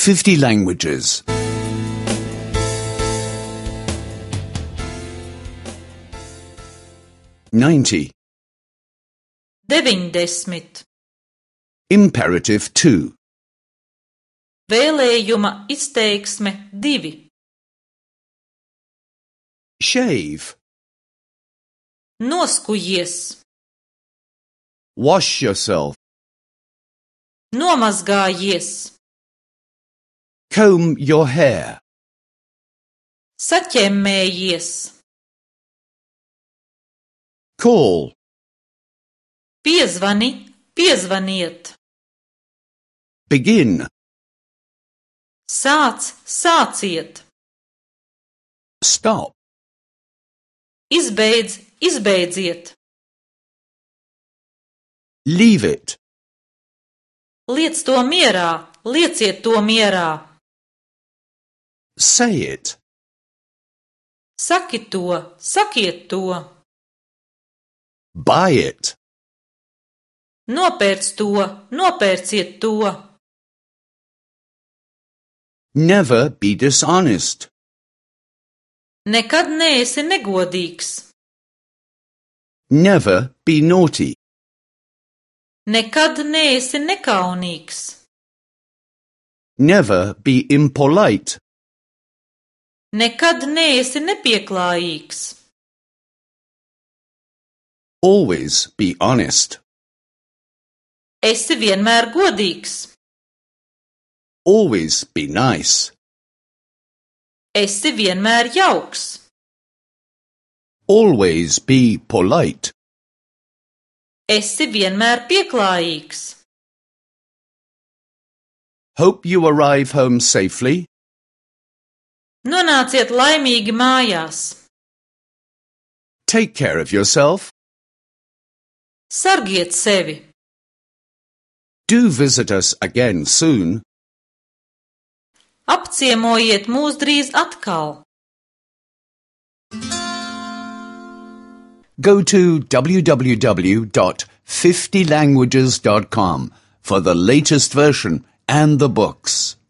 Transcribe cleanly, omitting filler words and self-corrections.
50 languages. 90. 90. Imperative 2. Vēlējuma izteiksme 2. Shave. Noskujies. Wash yourself. Nomazgājies. Comb your hair. Saķemmējies. Call. Piezvani, piezvaniet. Begin. Sāc, sāciet. Stop. Izbeidz, izbeidziet. Leave it. Liec to mierā, lieciet to mierā. Say it. Saki to, sakiet to. Buy it. Nopērc to, nopērciet to. Never be dishonest. Nekad neesi negodīgs. Never be naughty. Nekad neesi nekaunīgs. Never be impolite. Nekad neesi nepieklājīgs. Always be honest. Esi vienmēr godīgs. Always be nice. Esi vienmēr jauks. Always be polite. Esi vienmēr pieklājīgs. Hope you arrive home safely. Nonāciet laimīgi mājās. Take care of yourself. Sargiet sevi. Do visit us again soon. Apciemojiet mūs drīz atkal. Go to www.50languages.com for the latest version and the books.